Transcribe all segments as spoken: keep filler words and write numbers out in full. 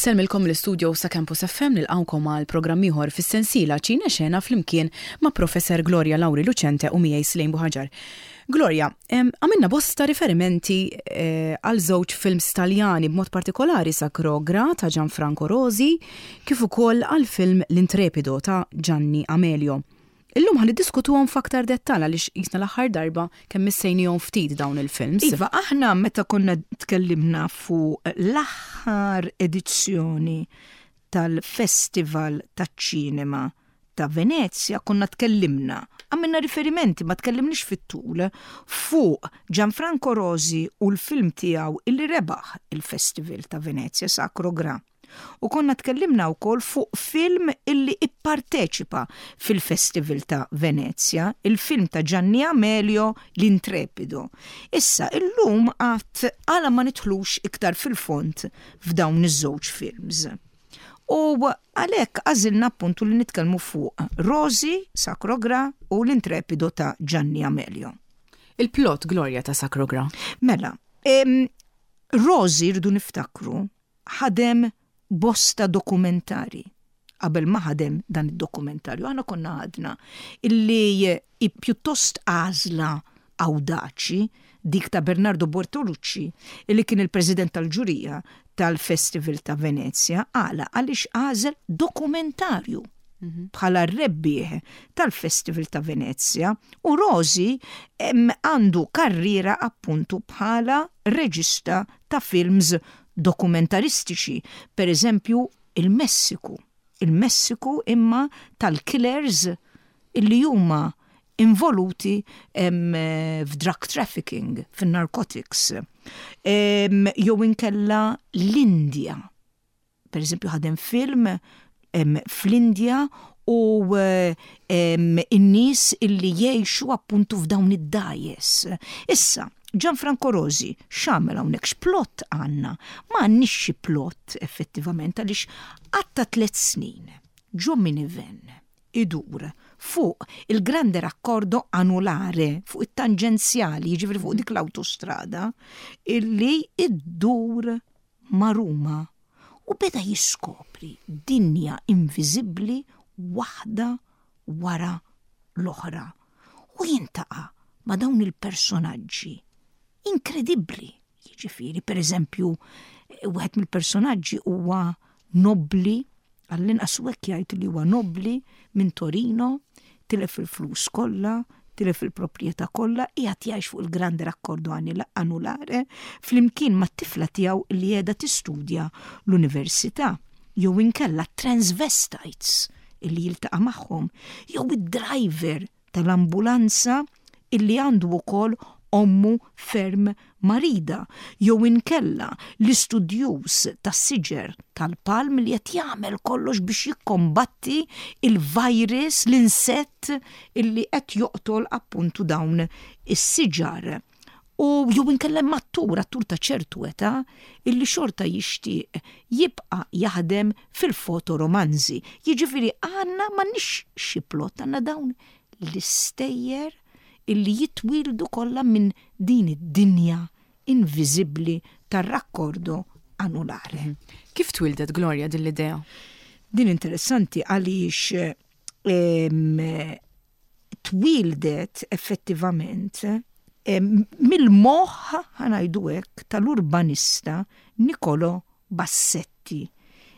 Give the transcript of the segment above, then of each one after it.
Insellmilkom l-istudio sa' Campus F M, nilqgħukom għal programm ieħor fis-sensiela Ċine Xena flimkien ma' Professor Gloria Lauri Lucente u miegħi Slejn Buħaġar. Gloria, għamilna bosta riferimenti eh, għal żewġ films Taljani, b'mod partikolari Sacro Gra ta' Gianfranco Rosi kif ukoll għal film L'Intrepido ta' Gianni Amelio. Illum ħa niddiskutuhom f'aktar dettal għaliex jisna l-aħħar darba kemm missejnihom ftit dawn il-films. Iva, aħna meta konna tkellimna fuq l-aħħar edizzjoni tal-Festival taċ-Ċinema ta' Venezia, konna tkellimna, għamilna riferimenti, ma tkellimniex fit-tul, fuq Gianfranco Rosi u l-film tiegħu illi rebaħ il-Festival ta' Venezia, Sacro Gra. U konna tkellimna wkoll fuq film illi ipparteċipa fil-Festival ta' Venezia, il-film ta' Gianni Amelio, L'Intrepido. Issa, illum għat għala ma nidħlux iktar fil-fond f'dawn iż-żewġ films? U għalhekk għażilna appuntu li nitkellmu fuq Rosi, Sacro Gra u L'Intrepido ta' Gianni Amelio. Il-plot, Gloria, ta' Sacro Gra. Mela, em, Rosi, rridu niftakru, ħadem bosta dokumentari qabel ma ħadem dan id-dokumentarju. Aħna konna għadna illi i pjuttost għażla awdaċi dik ta' Bernardo Bertolucci, illi kien il-president tal-ġurija tal-Festival ta' Venezia, għala għaliex għażel dokumentarju bħala rebbieħ tal-Festival ta' Venezia, u Rosi għandu karriera appuntu bħala reġista ta' films dokumentaristiċi, per eżempju il-Messiku. Il-Messiku imma tal-killers illi huma involuti f'drug trafficking, fin-narcotics. Jew inkella l-Indja. Per eżempju, ħadem film fl-Indja u in-nies illi jgħixu appuntu f'dawn id-dgħajjes. Issa, Gianfranco Rosi x'għamel hawnhekk? X'plot għandna? Ma għandniex xi plot effettivament, għaliex għadda tliet snin ġo minivan idur fuq il-Grande Raccordo Anulare, fuq it-tanġenzjali, jiġifieri fuq dik l-autostrada illi iddur ma' Ruma, u beda jiskopri dinja inviżibbli waħda wara l-oħra u jiltaqa' ma' dawn il-personaġġi inkredibbli. Jiġifieri, per eżempju, wieħed mill-personaġġi huwa nobli, għall-inqas hekk jgħid li huwa nobli minn Torino, tilef il-flus kollha, tilef il-proprjetà kollha, qiegħed jgħix fuq il-Grande Raccordo Anulare flimkien mat-tifla tiegħu li qiegħda tistudja l-università, jew inkella transvestites illi jiltaqa' magħhom, jew id-driver tal-ambulanza illi għandu wkoll ommu ferm marida, jew inkella l-istudjuż tas-siġar tal-palm li qed jagħmel kollox biex jikkombatti il-virus, l-insett illi qed joqtol appuntu dawn is-siġar. U jew inkella attur, attur ta' ċertu età illi xorta jixtieq jibqa' jaħdem fil-fotoromanzi. Jiġifieri għandna, m'għandniex xi plot, għandna dawn l-istejjer illi jitwildu kollha minn din id-dinja inviżibbli tar-raccordo anulare. Kif twildet, Gloria, din l-idea? Din interessanti għaliex twildet effettivament mill-moħħ, ħa ngħidu hekk, tal-urbanista Niccolò Bassetti,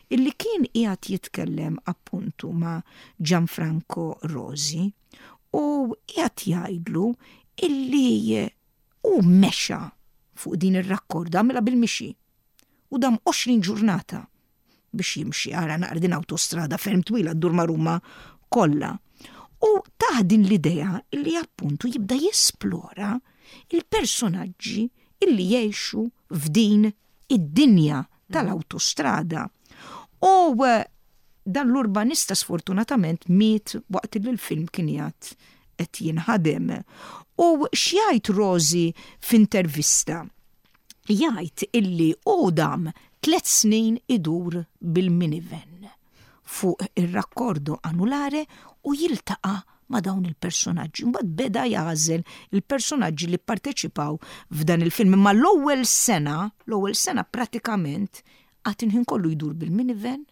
illi kien qiegħed jitkellem appuntu ma' Gianfranco Rosi u qiegħed jgħidlu illi hu mexa fuq din ir-rakkorda, għamilha bil-mixi u dam għoxrin ġurnata biex jimxi, ara naqra, din autostrada ferm twila ddur ma' Ruma kollha. U tah din l-idea illi appuntu jibda jesplora il-personaġġi illi jgħixu f'din id-dinja tal-autostrada. U eh, dan l-urbanista sfortunatament miet waqt li l-film kien qiegħed qed jinħadem. U x'jgħid Rosi f'intervista? Jgħid illi u dam tliet snin idur bil-minivan fuq ir-raccordo anulare u jiltaqa' ma' dawn il-personaġġi. Mbagħad beda jagħżel il-personaġġi li parteċipaw f'dan il-film. Imma l-ewwel sena, l-ewwel sena pratikament Għad il-ħin kollu jdur bil-minivan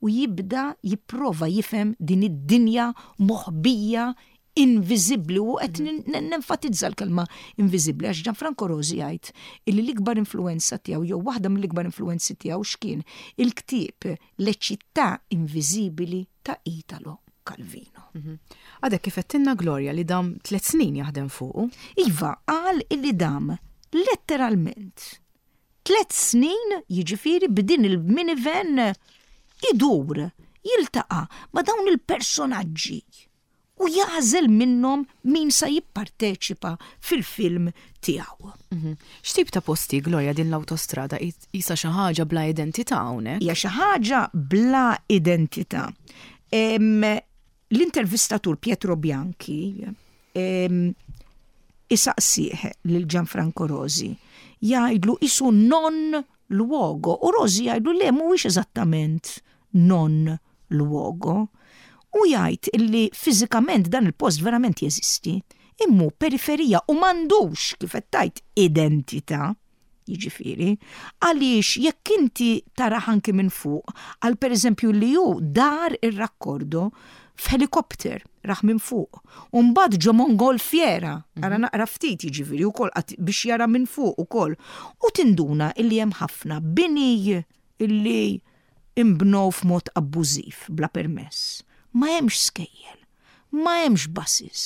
u jibda jipprova jifhem din id-dinja moħbija, inviżibbli, u qed nenfatizza l-kelma inviżibbli għax Gianfranco Rosi jgħid illi l-ikbar influenza tiegħu, jew waħda mill-ikbar influenzi tiegħu, x'kien il-ktieb Le città invisibili ta' Italo Calvino. Mhm. Għadek kif għedtilna, Gloria, li dam tliet snin jaħdem fuqu. Iva, qal illi dam letteralment tliet snin, jiġifieri b'din il-minivan idur, jiltaqa' ma' dawn il-personaġġi u jagħżel minnhom min sa jipparteċipa fil-film tiegħu. Mhm. X'tip ta' posti, Gloria, din l-autostrada? Isa xi ħaġa bla identità hawnhekk? Hija xi ħaġa bla identità. L-intervistatur Pietro Bianchi isaqsih lil Gianfranco Rosi, jgħidlu isu non luogo, u Rosi jgħidlu le, mhuwiex eżattament non luogo, u jgħid illi fiżikament dan il-post verament jeżisti, imma periferija u m'għandux, kif qed, identità, jiġifieri, għaliex jekk inti tara anki minn fuq, għal per eżempju li ju dar ir-rakkordo f'helikopter, raħ minn fuq. U mbagħad ġo mongolfiera, ara mhm. naqra ftit, jiġifieri wkoll biex jara minn fuq ukoll. U tinduna illi hemm ħafna bini illi imbnow f'mod abbużiv bla permess. Ma hemmx skejjel, ma hemmx buses,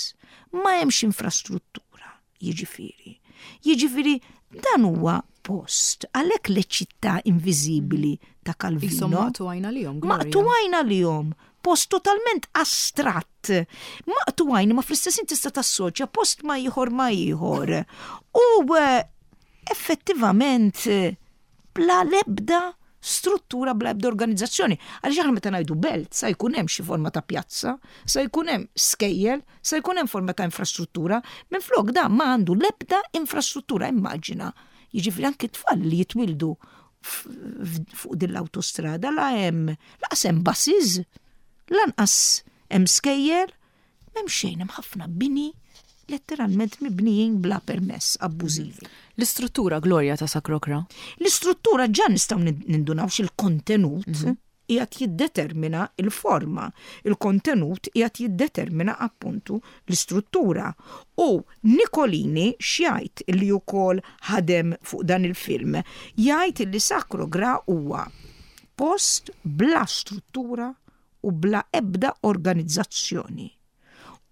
ma hemmx infrastruttura, jiġifieri. Jiġifieri dan huwa post, għalhekk Le città invisibili ta' Calvino. Maqtugħin għalihom. Maqtugħin għalihom. Post totalment astratt. Maqtugħin, ma fl-istess tista' tassoċja post ma ieħor ma ieħor. U eh, effettivament bla lebda struttura, bla ebda organizzazzjoni. Għaliex aħna meta ngħidu belt, sa jkun hemm xi forma ta' pjazza, sa jkun hemm skejjel, sa jkun hemm forma ta' infrastruttura, minflok da ma għandu l-ebda infrastruttura, immaġina. Jiġifieri anki tfal li jitwildu fuq din l-autostrada la hemm lanqas hemm buses, lanqas hemm skejjel, m'hemm xejn, hemm ħafna bini letteralment mibnijin bla permess, abbużivi. L-istruttura, Gloria, ta' Sacro Gra? L-istruttura ġa nistgħu nindunaw il-kontenut mm qiegħed jiddetermina il-forma, il-kontenut qiegħed jiddetermina appuntu l-istruttura. U Nicolini x'jgħid, li wkoll ħadem fuq dan il-film? Jgħid li Sacro Gra huwa post bla struttura u bla ebda organizzazzjoni.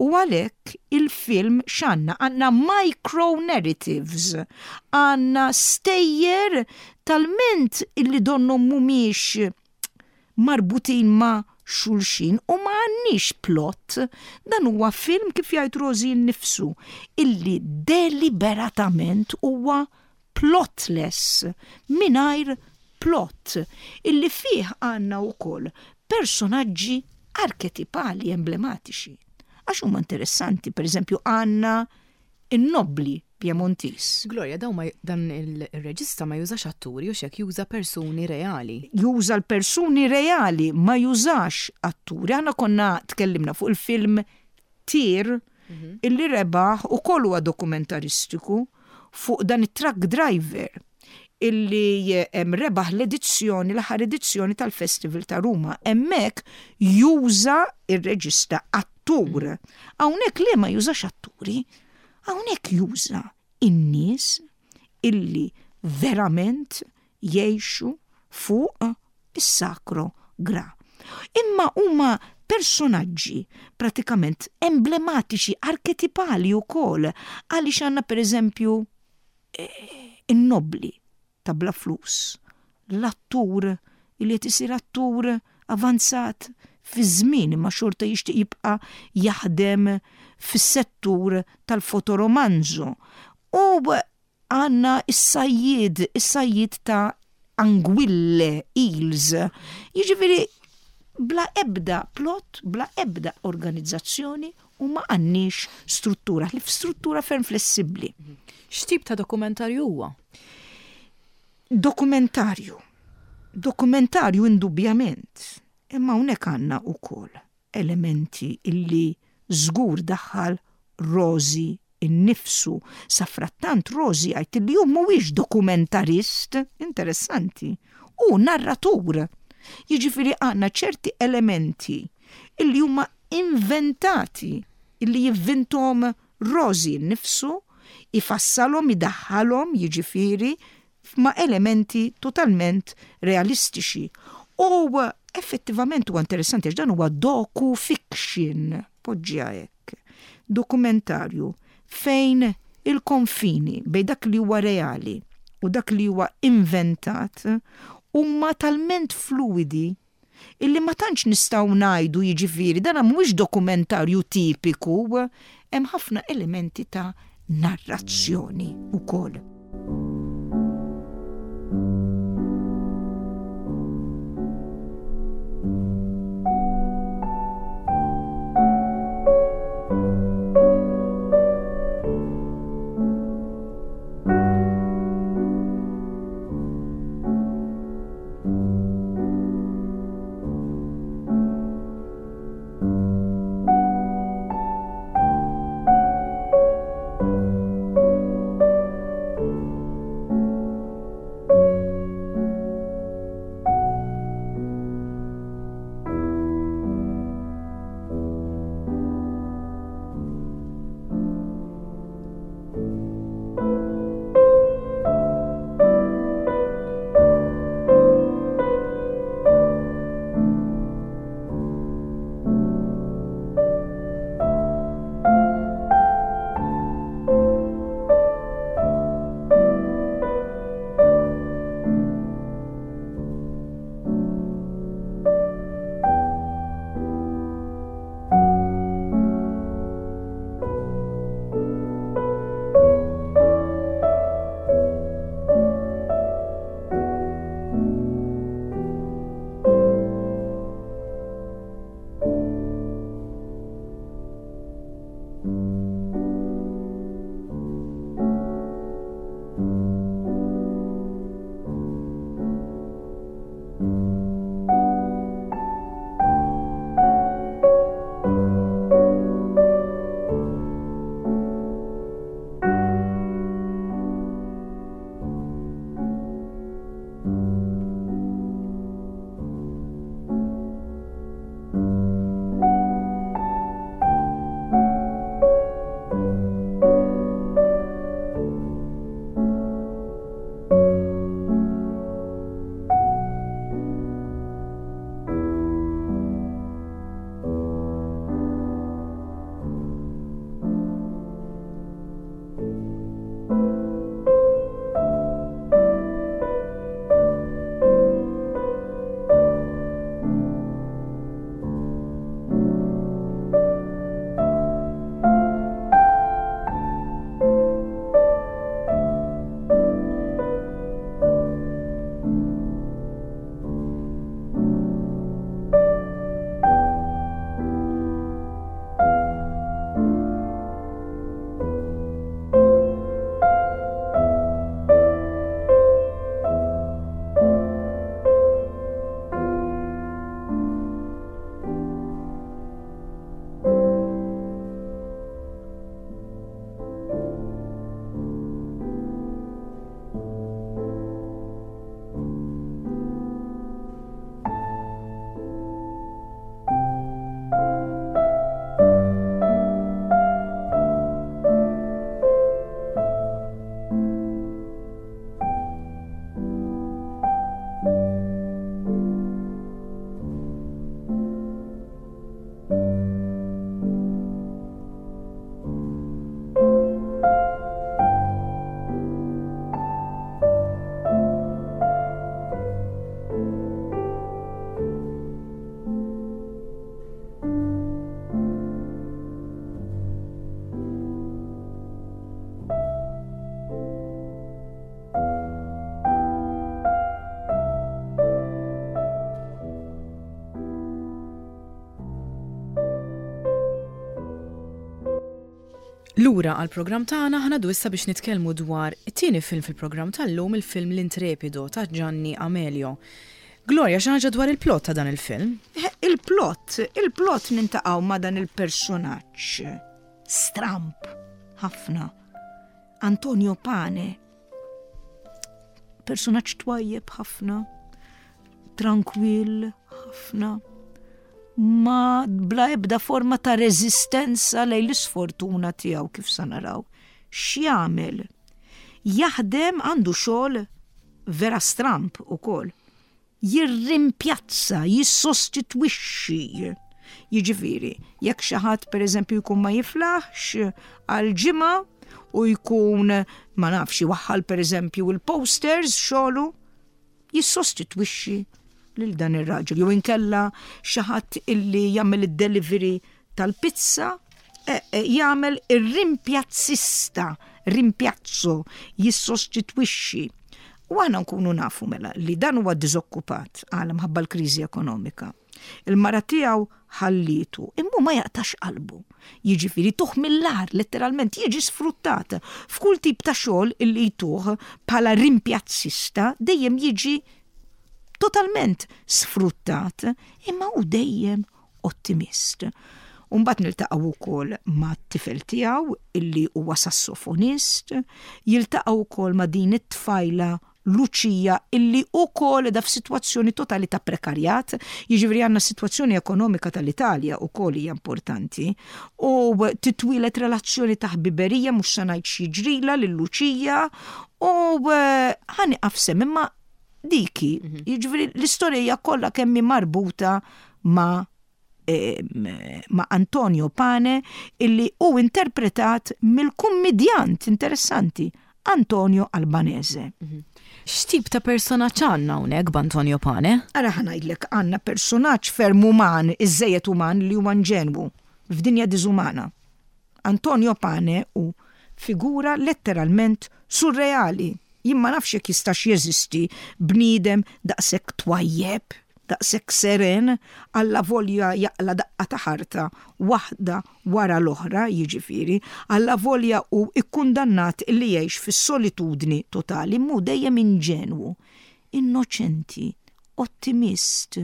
U għalhekk il-film x'għandna? Għandna micro-narratives, għandna stejjer talment illi donnom mhumiex marbutin ma' xulxin u ma għandniex plot. Dan huwa film, kif jgħid Rosi nnifsu, illi deliberatament huwa plotless, mingħajr plot, illi fih għandna wkoll personaġġi arketipali emblematiċi għax huma interessanti, per eżempju għandna in-nobli Piemontis. Gloria, daw ma, dan il-reġista ma jużax atturi u xek, juża persuni reali. Juża l-persuni reali, ma jużax atturi. Aħna konna tkellimna fuq il-film Tir mhm. illi rebaħ u kollu huwa dokumentaristiku fuq dan it-truck driver illi rebaħ l-edizzjoni, l-aħħar edizzjoni tal-Festival ta' Ruma. Hemmhekk juża ir-reġista attur. Hawnhekk li ma jużax atturi, hawnhekk juża in-nies illi verament jgħixu fuq is-Sacro Gra. Imma huma personaġġi pratikament emblematiċi, arketipali wkoll, għaliex għandna per eżempju eh, in-nobli ta' bla flus, l-attur li qed isir attur avanzat fi żmien imma xorta jixtieq jibqa' jaħdem fis-settur tal-fotoromanzo. U għandna is-sajjid, is-sajjid ta' anguille, eels. Jiġifieri bla ebda plot, bla ebda organizzazzjoni u ma għandniex struttura, li struttura ferm flessibbli. X'tip ta' dokumentarju huwa? Dokumentarju. Dokumentarju indubjament. Imma hawnhekk għandna wkoll elementi illi żgur daħħal Rosi innifsu. Safrattant Rosi jgħid li hu mhuwiex dokumentarist, interessanti. Hu narratur. Jiġifieri għandna ċerti elementi illi huma inventati, illi jivvintom Rosi nnifsu, ifassalhom, idaħħalhom, jiġifieri ma' elementi totalment realistiċi. U effettivament huwa interessanti għax dan huwa docu-fiction, poġġiha hekk, dokumentarju fejn il-konfini bejn dak li huwa reali u dak li huwa inventat huma talment fluidi illi ma tantx nistgħu ngħidu, jiġifieri dan mhuwiex dokumentarju tipiku, hemm ħafna elementi ta' narrazzjoni wkoll. Lura għal-programm tagħna ħa ngħaddu issa biex nitkellmu dwar it-tieni film fil-programm tal-lum, il-film L-Intrepido ta' Gianni Amelio. Gloria, xi ħaġa dwar il-plot ta' dan il-film? Il-plot, il-plot niltaqgħu ma' dan il-personaġġ stramp ħafna. Antonio Pane, personaġġ twajjeb ħafna. Trankwill ħafna, ma bla ebda forma ta' reżistenza lejn l-isfortuna tiegħu, kif sa naraw. X'jagħmel? Jaħdem, għandu xogħol vera stramp ukoll. Jirrimpjazza, jissostitwixxi. Jiġifieri, jekk xi ħadd, pereżempju, jkun ma jiflaħx għal ġimgħa u jkun, ma nafx, iwaħħal pereżempju il-posters xogħlu, jissostitwixxi lil dan ir-raġel. Jew inkella xi ħadd illi jagħmel id-delivery tal-pizza, e, e, jagħmel ir-rimpjazzista, rimpiazzo, jissostitwixxi. U aħna nkunu nafu mela li dan huwa diżokkupat għal mħabba l-kriżi ekonomika. Il-mara tiegħu ħallitu, imma ma jaqtax qalbu. Jiġifieri tuh mill-agħar, letteralment jiġi sfruttat. F'kull tip ta' xogħol illi jtuh bħala rimpjazzista dejjem jiġi totalment sfruttat, imma hu dejjem ottimist. Umbat niltaqgħu wkoll ma' tifel tiegħu illi huwa sassofonist, jiltaqgħu wkoll ma' din it-tfajla Lucia illi wkoll da f'sitwazzjoni totali ta' prekarjat, jiġifieri għandna sitwazzjoni ekonomika tal-Italja wkoll hija importanti, u titwieled relazzjoni ta' ħbiberija, mhux se ngħid x'jiġrilha lil Lucia, u ħa nieqaf hemm, imma diki, jiġifieri l-istorja kollha kemm hi marbuta ma' ma' Antonio Pane, illi hu interpretat mill-kummedjant interessanti Antonio Albanese. X'tip ta' personaġġ għandna hawnhekk b'Antonio Pane? Ara, ħa ngħidlek, għandna personaġġ ferm uman, iżżejjed uman, li huwa inġenwu f'dinja diżumana. Antonio Pane hu figura letteralment surreali. Jien ma nafx jekk jistax jeżisti bniedem daqshekk twajjeb, daqshekk seren, alla volja jaqla daqqa ta' ħarta waħda wara l-oħra, jiġifieri, alla volja hu ikkundannat illi jgħix fis-solitudni totali, hu dejjem inġenwu, innoċenti, ottimist.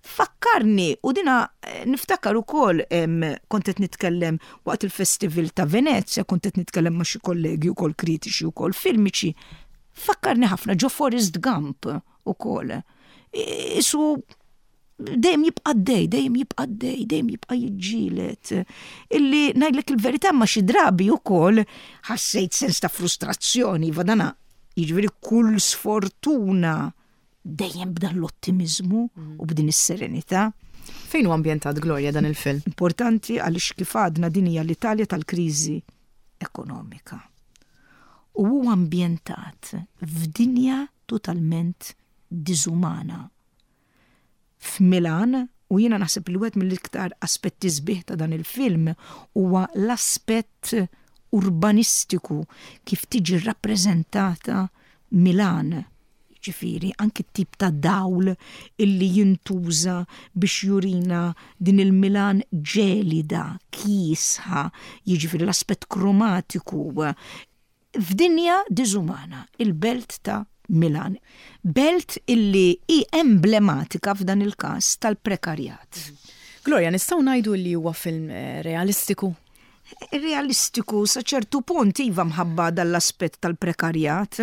Fakkarni, u dina eh, niftakar ukoll, kont qed nitkellem waqt il-Festival ta' Venezia, kont qed nitkellem ma' xi kollegi ukoll kritiċi ukoll filmiċi, fakkarni ħafna ġo Forrest Gump ukoll. Isu dejjem jibqa' dej, dejjem jibqa' dej, dejjem jibqa' jiġġieled. Illi ngħidlek il-verità, ma xi drabi ukoll ħassejt sens ta' frustrazzjoni, vadana, jiġifieri kull sfortuna dejjem b'dan l-ottimizmu u b'din is-serenità. Fejn hu ambjentat, Gloria, dan il-film? Importanti, għaliex kif għadna, din hija l-Italja tal-kriżi ekonomika. U huwa ambjentat f'dinja totalment diżumana. F'Milan, u jiena naħseb li wieħed mill-iktar aspetti sbieħ ta' dan il-film huwa l-aspett urbanistiku, kif tiġi rappreżentata Milan. Ġifieri, anki tip ta' dawl illi jintuża biex jurina din il-Milan ġelida, kiesħa, jiġifieri l-aspett kromatiku. F'dinja diżumana, il-belt ta' Milan. Belt illi hi emblematika f'dan il-każ tal-prekarjat. Gloria, nistgħu ngħidu li huwa film eh, realistiku? Realistiku sa ċertu punt iva, mħabba dall-aspett tal-prekarjat,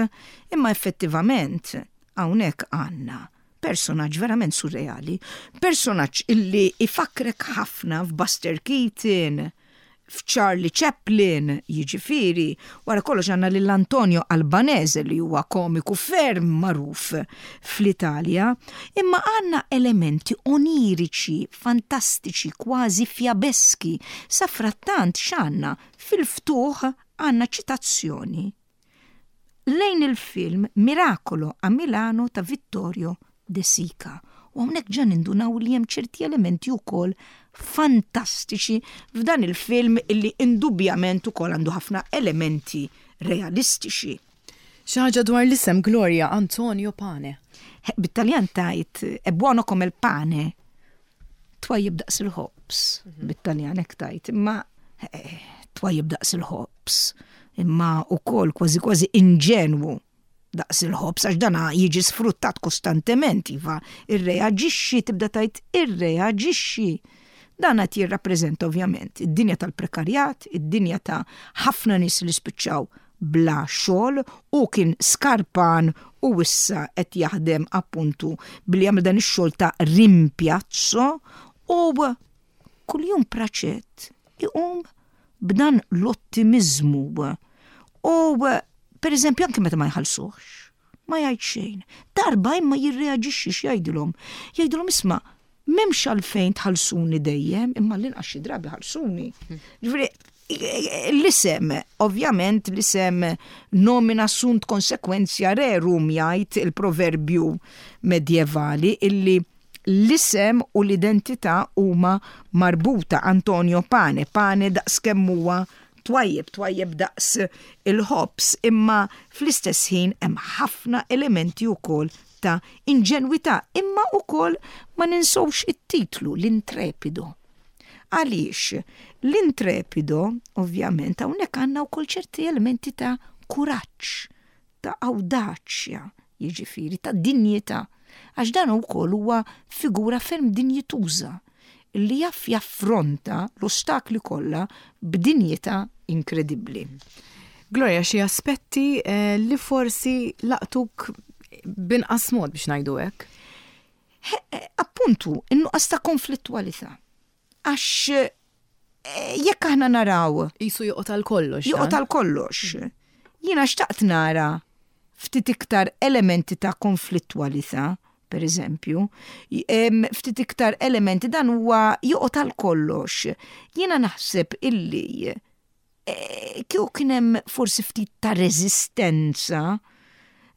imma effettivament hawnhekk għandna personaġġ verament surreali, personaġġ illi ifakrek ħafna f'Buster Keaton, f'Charlie Chaplin, jiġifieri, wara kollox għandna lil Antonio Albanese li huwa komiku ferm magħruf fl-Italja, imma għandna elementi oniriċi, fantastiċi, kważi fjabeski. Sa frattant x'għandna? Fil-ftuħ għandna ċitazzjoni lejn il-film Miracolo a Milano ta' Vittorio De Sica. U hawnhekk ġa nindunaw li hemm ċerti elementi wkoll fantastiċi f'dan il-film illi indubjament ukoll għandu ħafna elementi realistiċi. Xi ħaġa dwar l-isem, Gloria, Antonio Pane? Bit-Taljan tajt "è buono come il pane", twajjeb daqs il-ħobż, bit-Taljan hekk tajt, imma eh, twajjeb daqs il-ħobż, imma ukoll kważi kważi inġenwu daqs il-ħobż, għax dana jiġi sfruttat kostantement, iva, irreaġixxi, tibda tajt irreaġixxi. Dan qed jirrappreżenta ovvjament id-dinja tal-prekarjat, id-dinja ta' ħafna nies li spiċċaw bla xogħol u kien skarpan u issa qed jaħdem appuntu billi jagħmel dan ix-xogħol ta' rimpiazzo u kuljum Praċett iqum b'dan l-ottimizmu. U per eżempju anke meta ma jħallsuhx, ma jgħid xejn. Darba imma jirreaġixxi x'jgħidilhom. Jgħidilhom isma' m'hemmx għalfejn tħallsuni dejjem, imma l-inqas xi drabi ħallsuni. Ġifieri l-isem, ovvjament l-isem nomina sunt consequentia rerum jgħid il-proverbju medjevali illi l-isem u l-identità huma marbuta Antonio Pane, Pane daqs kemm huwa twajjeb, twajjeb daqs il-ħobż, imma fl-istess ħin hemm ħafna elementi wkoll ta' inġenwità, imma wkoll ma ninsewx it-titlu l-Intrepido. Għaliex l-Intrepido, ovvjament, hawnhekk għandna wkoll ċerti elementi ta' kuraġġ, ta' awdaċja, jiġifieri ta' dinjità. Għax dan ukoll huwa figura ferm dinjituża li jaf jaffronta l-ostakli kollha b'dinjità inkredibbli. Gloria, xi aspetti eh, li forsi laqtuk b'inqas mod biex ngħidu hekk? Eh, appuntu, in-nuqqas ta' konflittwalità. Għax eh, jekk aħna naraw. Jisu joqgħod għal kollox. Joqgħod għal kollox. Jiena xtaqt nara ftit iktar elementi ta' konflittwalità, per eżempju, ftit iktar elementi dan huwa joqgħod għal kollox. Jiena naħseb illi eh, kieku kien hemm forsi ftit ta' reżistenza,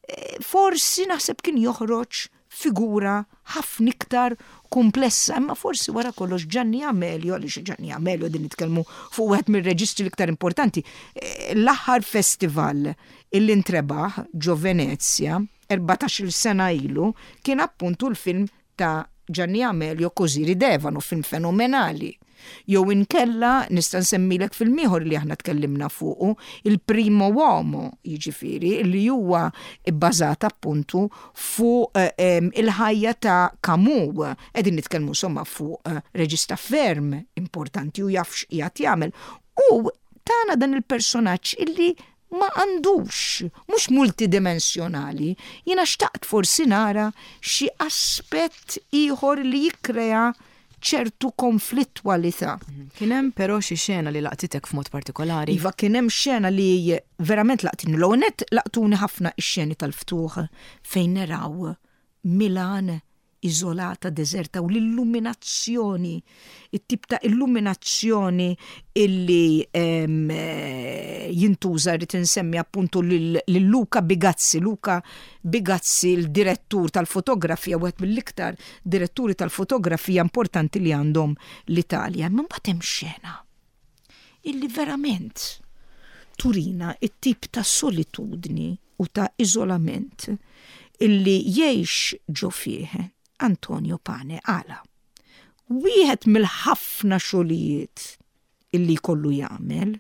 eh, forsi naħseb kien joħroġ figura ħafna iktar komplessa, imma forsi wara kollox Gianni Amelio, għaliex Gianni Amelio din nitkellmu fuq wieħed mir-reġistri l-iktar importanti, eh, l-aħħar festival illi ntrebaħ ġo Venezia, erbatax-il sena ilu, kien appuntu l-film ta' Gianni Amelio Così ridevano, film fenomenali. Jew inkella nista' nsemmilek film ieħor li aħna tkellimna fuqu, il Primo Uomo, jiġifieri li huwa bbażat appuntu fuq eh, il-ħajja ta' Camus. Qegħdin nitkellmu insomma fuq eh, reġista ferm importanti u jaf x'qiegħed jagħmel. U tana dan il-personaġġ illi ma għandux, mhux multidimensjonali, jiena xtaqt forsi nara xi aspett ieħor li jikkrea ċertu konflittwalità. Kien hemm però xi xena li laqtitek f'mod partikolari? Iva, kien hemm xena li verament laqtini. L-ewwel nett laqtuni ħafna ix-xeni tal-ftuħ fejn naraw Milan iżolata, deserta u l-illuminazzjoni, it-tip ta' illuminazzjoni illi em, eh, jintuża rrid insemmi appuntu lil lil Luca Bigazzi. Luca Bigazzi, il-direttur tal-fotografija, wieħed mill-iktar diretturi tal-fotografija importanti li għandhom l-Italja. Imma mbagħad hemm xena illi verament turina it-tip ta' solitudni u ta' iżolament illi jgħix ġo fih Antonio Pane. Għala. Wieħed mill-ħafna xogħlijiet illi kollu jagħmel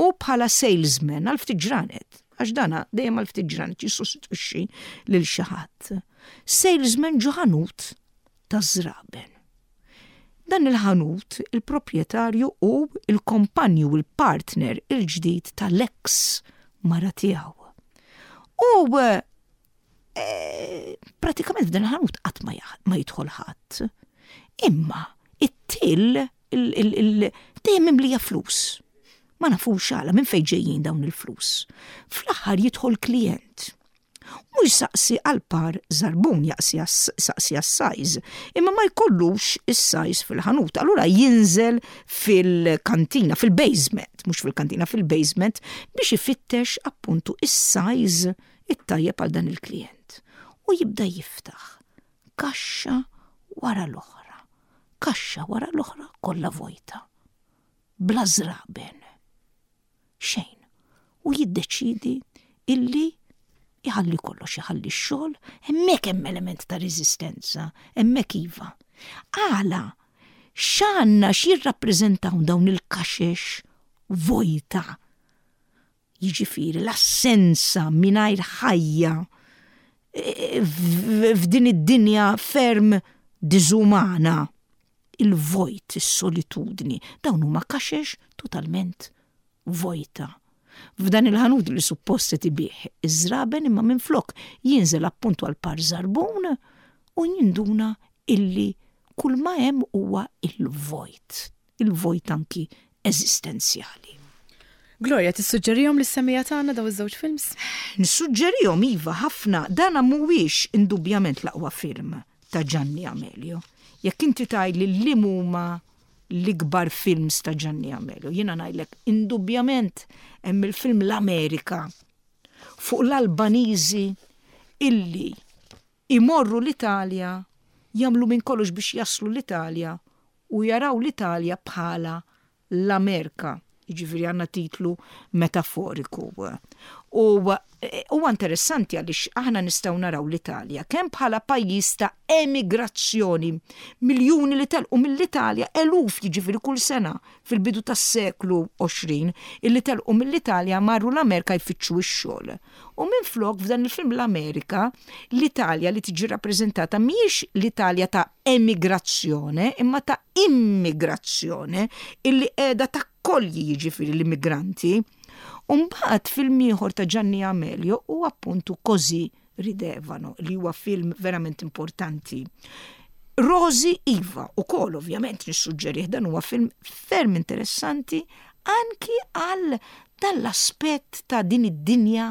u bħala salesman għal ftit ġranet, għax dana dejjem għal ftit ġranet jissostitwixxi lil xi ħadd. Salesman ġo ħanut ta' żraben. Dan il-ħanut, il-proprjetarju u il-kompanju, il-partner il-ġdid tal-ex mara tiegħu. U eh, pratikament f'dan il-ħanut qatt ma jaħ- ma jidħol ħadd. Imma it-till il- il- il- dejjem mimlija flus. Ma nafux għala minn fejn ġejjin dawn il-flus. Fl-aħħar jidħol klient. U jsaqsi għal par żarbun, jaqsi saqsi għas-size, imma ma jkollux is-size fil-ħanut. Allura jinżel fil-kantina, fil-basement, mhux fil-kantina, fil-basement biex ifittex appuntu is-size it-tajjeb għal dan il-klient. U jibda jiftaħ kaxxa wara l-oħra, kaxxa wara l-oħra kollha vojta. Bla żraben. Xejn. U jiddeċidi illi jħalli kollox, jħalli x-xogħol, hemmhekk hemm element ta' reżistenza, hemmhekk iva. Għala, x'għandna x'jirrappreżentaw dawn il-kaxex vojta? Jiġifieri l-assenza mingħajr ħajja e, f'din id-dinja ferm diżumana, il-vojt, is-solitudni, dawn huma kaxex totalment vojta. F'dan il-ħanut li suppost qed ibigħ iż-żraben, imma minflok jinżel appuntu għal par żarbun u jinduna illi kull ma hemm huwa il-vojt, il-vojt anki eżistenzjali. Gloria, tissuġġerihom lis-semmiegħa tagħna daw iż-żewġ films? Nissuġġerihom, iva, ħafna. Dana mhuwiex indubjament l-aqwa film ta' Gianni Amelio. Jekk inti tgħidli li huma l-ikbar films ta' Gianni Amelio, jiena ngħidlek indubjament hemm il-film L-Amerika fuq l-Albaniżi illi imorru l-Italja, jagħmlu minn kollox biex jaslu l-Italja u jaraw l-Italja bħala l-Amerika. Jiġifieri għandna titlu metaforiku. U huwa interessanti għaliex aħna nistgħu naraw l-Italja kemm bħala pajjiż ta' emigrazzjoni, miljuni li telqu mill-Italja, eluf jiġifieri kull sena fil-bidu tas-seklu għoxrin illi telqu mill-Italja, marru l-Amerika jfittxu x-xogħol. U minflok, f'dan il-film L-Amerika, l-Italja li tiġi rappreżentata mhijiex l-Italja ta' emigrazzjoni imma ta' immigrazzjoni illi qiegħda takkolji jiġifieri l-immigranti. Umbagħad film ieħor ta' Gianni Amelio u appuntu Così ridevano, li huwa film verament importanti. Rosi, iva, u kol ovvjament nissuġġerih, dan huwa film ferm interessanti anki għal dan l-aspett ta' din id-dinja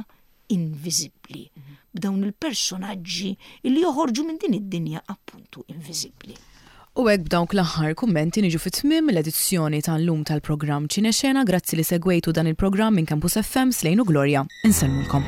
inviżibbli, b'dawn il-personaġġi li joħorġu minn din id-dinja appuntu inviżibbli. U hekk, b'dawk l-aħħar kummenti, niġu fit-tmiem l-edizzjoni tal-lum tal-programm Ċinexena. Grazzi li segwejtu dan il-programm minn Campus F M. Slejnu Gloria. Insellmulkom.